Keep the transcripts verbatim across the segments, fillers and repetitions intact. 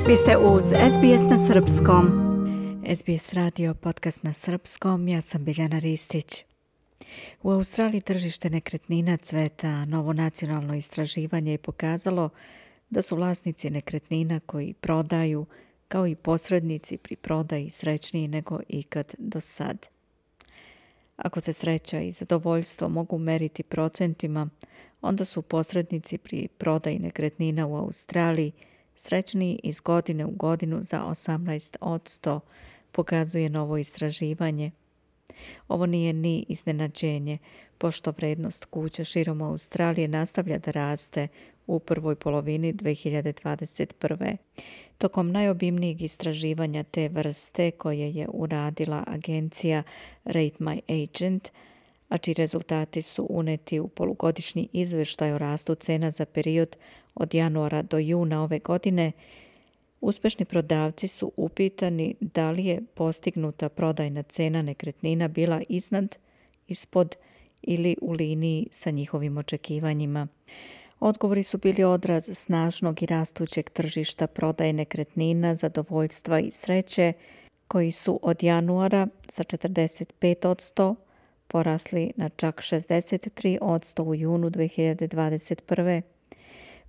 Vi ste uz S B S na srpskom. S B S radio podcast na srpskom, ja sam Biljana Ristić. U Australiji tržište nekretnina cveta. Novo nacionalno istraživanje je pokazalo da su vlasnici nekretnina koji prodaju, kao i posrednici pri prodaji, srećniji nego ikad do sad. Ako se sreća i zadovoljstvo mogu meriti procentima, onda su posrednici pri prodaji nekretnina u Australiji srećniji iz godine u godinu za osamnaest posto, pokazuje novo istraživanje. Ovo nije ni iznenađenje, pošto vrednost kuća širom Australije nastavlja da raste u prvoj polovini dve hiljade dvadeset prve. Tokom najobimnijeg istraživanja te vrste koje je uradila agencija Rate My Agent, a čiji rezultati su uneti u polugodišnji izveštaj o rastu cena za period od januara do juna ove godine, uspešni prodavci su upitani da li je postignuta prodajna cena nekretnina bila iznad, ispod ili u liniji sa njihovim očekivanjima. Odgovori su bili odraz snažnog i rastućeg tržišta prodaje nekretnina, zadovoljstva i sreće, koji su od januara sa četrdeset pet posto porasli na čak šezdeset tri posto u junu dve hiljade dvadeset prve.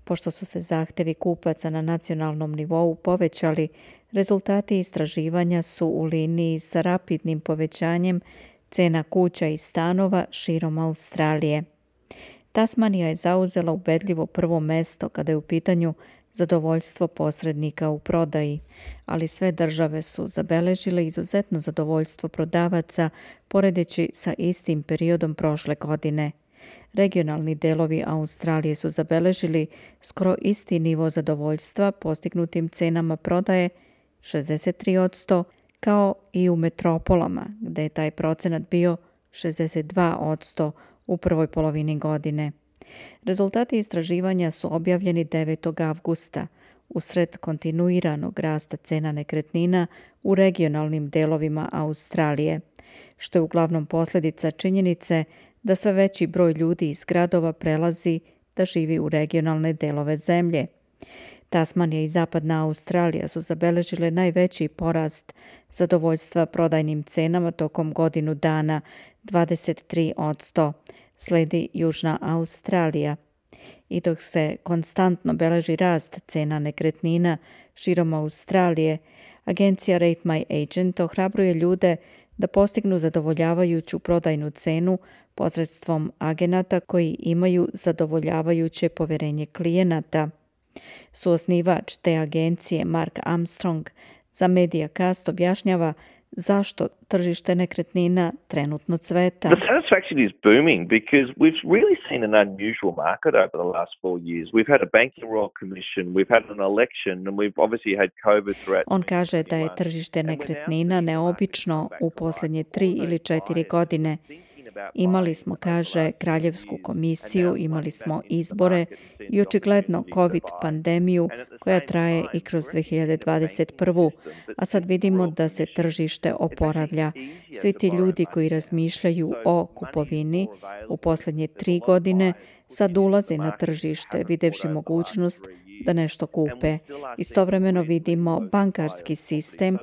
Pošto su se zahtevi kupaca na nacionalnom nivou povećali, rezultati istraživanja su u liniji sa rapidnim povećanjem cena kuća i stanova širom Australije. Tasmanija je zauzela ubedljivo prvo mesto kada je u pitanju zadovoljstvo posrednika u prodaji, ali sve države su zabeležile izuzetno zadovoljstvo prodavaca poredeći sa istim periodom prošle godine. Regionalni delovi Australije su zabeležili skoro isti nivo zadovoljstva postignutim cenama prodaje šezdeset tri posto, kao i u metropolama, gde je taj procenat bio šezdeset dva posto u prvoj polovini godine. Rezultati istraživanja su objavljeni devetog avgusta, usred kontinuiranog rasta cena nekretnina u regionalnim delovima Australije, što je uglavnom posljedica činjenice da sve veći broj ljudi iz gradova prelazi da živi u regionalne delove zemlje. Tasmanija i Zapadna Australija su zabeležile najveći porast zadovoljstva prodajnim cenama tokom godinu dana, dvadeset tri posto, sledi Južna Australija. I dok se konstantno beleži rast cena nekretnina širom Australije, agencija Rate My Agent ohrabruje ljude da postignu zadovoljavajuću prodajnu cenu posredstvom agenata koji imaju zadovoljavajuće poverenje klijenata. Suosnivač te agencije Mark Armstrong za Mediacast objašnjava zašto tržište nekretnina trenutno cveta. The satisfaction is booming because we've really seen an unusual market over the last four years. We've had a banking royal commission, we've had an election, and we've obviously had COVID throughout. On kaže da je tržište nekretnina neobično u posljednje tri ili četiri godine. Imali smo, kaže, kraljevsku komisiju, imali smo izbore i očigledno COVID pandemiju koja traje i kroz dve hiljade dvadeset prvu. A sad vidimo da se tržište oporavlja. Svi ti ljudi koji razmišljaju o kupovini u posljednje tri godine sad ulaze na tržište videvši mogućnost da nešto kupe. Istovremeno vidimo bankarski sistem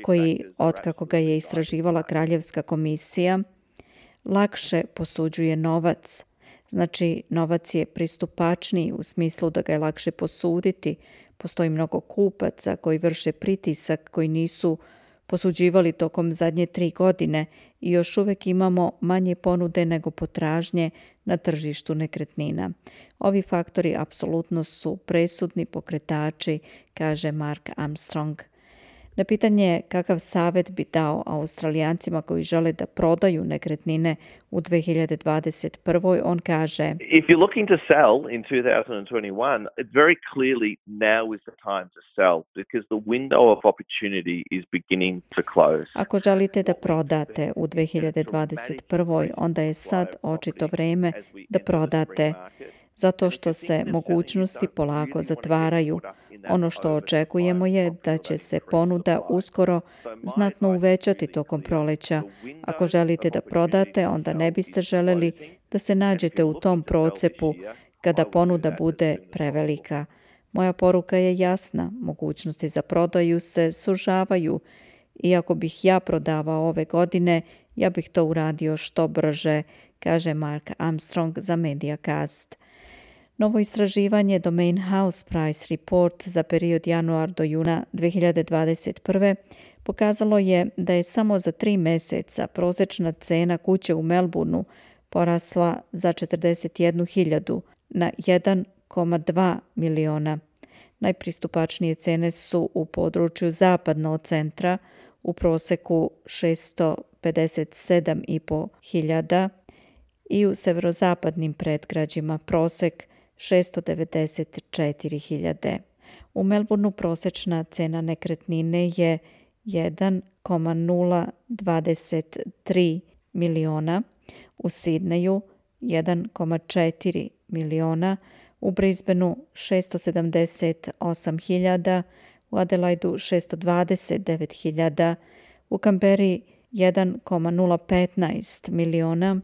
koji, otkako ga je istraživala kraljevska komisija, lakše posuđuje novac. Znači, novac je pristupačniji u smislu da ga je lakše posuditi. Postoji mnogo kupaca koji vrše pritisak, koji nisu posuđivali tokom zadnje tri godine i još uvijek imamo manje ponude nego potražnje na tržištu nekretnina. Ovi faktori apsolutno su presudni pokretači, kaže Mark Armstrong. Na pitanje kakav savjet bi dao Australijancima koji žele da prodaju nekretnine u dve hiljade dvadeset prvoj, on kaže: If you're looking to sell in two thousand twenty-one, it very clearly now is the time to sell because the window of opportunity is beginning to close. Ako želite da prodate u dve hiljade dvadeset prvoj, onda je sad očito vreme da prodate, zato što se mogućnosti polako zatvaraju. Ono što očekujemo je da će se ponuda uskoro znatno uvećati tokom proleća. Ako želite da prodate, onda ne biste želeli da se nađete u tom procepu kada ponuda bude prevelika. Moja poruka je jasna, mogućnosti za prodaju se sužavaju. Iako bih ja prodavao ove godine, ja bih to uradio što brže, kaže Mark Armstrong za Mediacast. Novo istraživanje Domain House Price Report za period januar do juna dvije hiljade dvadeset prve pokazalo je da je samo za tri mjeseca prosječna cena kuće u Melbourneu porasla za četrdeset jednu hiljadu na jedan zarez dva miliona. Najpristupačnije cene su u području zapadno od centra, u proseku šesto pedeset sedam i po hiljada i u severozapadnim predgrađima prosek šesto devedeset četiri hiljade. U Melbourneu prosječna cena nekretnine je jedan zarez nula dvadeset tri miliona, u Sidneju jedan zarez četiri miliona, u Brisbaneu šesto sedamdeset osam hiljada, u Adelaidu šesto dvadeset devet hiljada, u Canberri jedan zarez nula petnaest miliona,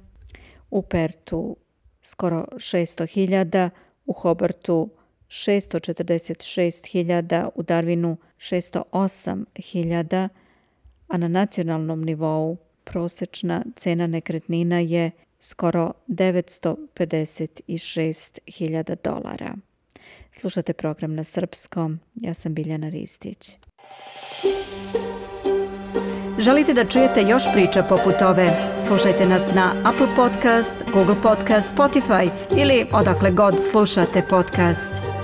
u Pertu skoro šesto hiljada, u Hobartu šesto četrdeset šest hiljada, u Darwinu šesto osam hiljada, a na nacionalnom nivou prosječna cena nekretnina je skoro devetsto pedeset šest hiljada dolara. Slušate program na srpskom, ja sam Biljana Ristić. Želite da čujete još priča poput ove? Slušajte nas na Apple Podcast, Google Podcast, Spotify ili odakle god slušate podcast.